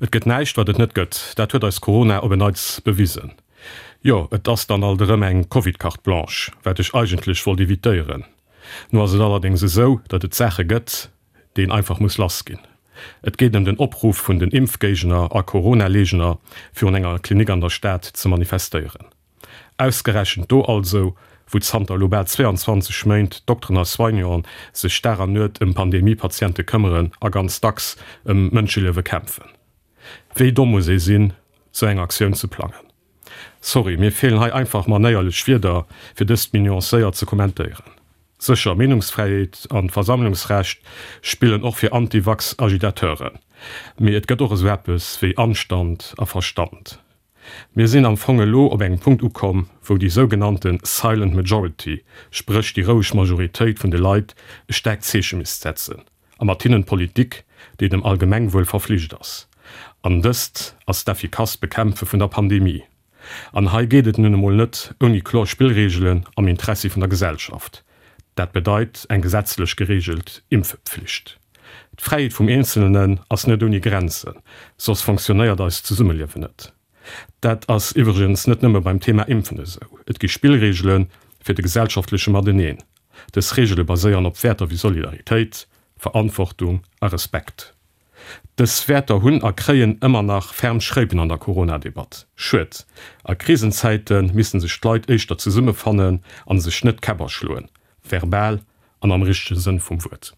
Et gëtt näischt, wat et net gëtt. Dat huet eis Corona op en Neits bewisen. Jo, et ass dann alt erëm eng Covid-Carte blanche, wat ech eigentlech wollt evitéieren. Nu ass et allerdéngs esou, datt et Saache gëtt, déi een einfach muss lass ginn. Et geet ëm den Opruff vun den Impfgéigner a Corona-Leegner, virun enger Klinik an der Stad ze manifestéieren. Ausgerechent do also, wou zanter elo bal 22 Méint Dokteren a Soignanten sech Dag an Nuet ëm Pandemie-Patiente këmmeren a ganz dacks ëm Mënscheliewe kämpfen. Wéi domm muss ee sinn, sou eng Aktioun ze plangen? Sorry, mir feelen hei einfach manéierlech Wierder, fir dëst méi nuancéiert ze kommentéieren. Sécher, Meenungsfräiheet an d'Versammlungsrecht spillen och fir Anti-Vax-Agitateuren, mee et gëtt och esou eppes wéi Anstand a Verstand. Mir sinn am Fong elo op engem Punkt ukomm, wou déi sougenannte silent majority, spréch déi roueg Majoritéit vun de Leit, e staarkt Zeeche misst setzen, a mat hinnen d'Politik, déi dem Allgemengwuel verflicht ass. An dëst ass d'effikasst Bekämpfe vun der Pandemie. An hei geet et nun emol net ouni kloer Spillreegelen am Interessi vun der Gesellschaft. Dat bedeit eng gesetzlech gereegelt Impfpflicht. D'Fräiheet vum Eenzelnen ass net ouni Grenzen, soss fonctionnéiert eist Zesummeliewen net. Dat ass iwwregens net nëmme beim Thema Impfen esou. Et gi Spillreegele fir de gesellschaftleche Mateneen. Dës Reegele baséieren op Wäerter wéi Solidaritéit, Verantwortung a Respekt. Dës Wäerter hunn a kréien ëmmer nach ferm Schréipen an der Corona-Debatt. Schued. A Krisenzäite missten sech d'Leit éischter zesummefannen an sech net d'Käpp aschloen, verbal an am richtege Sënn vum Wuert.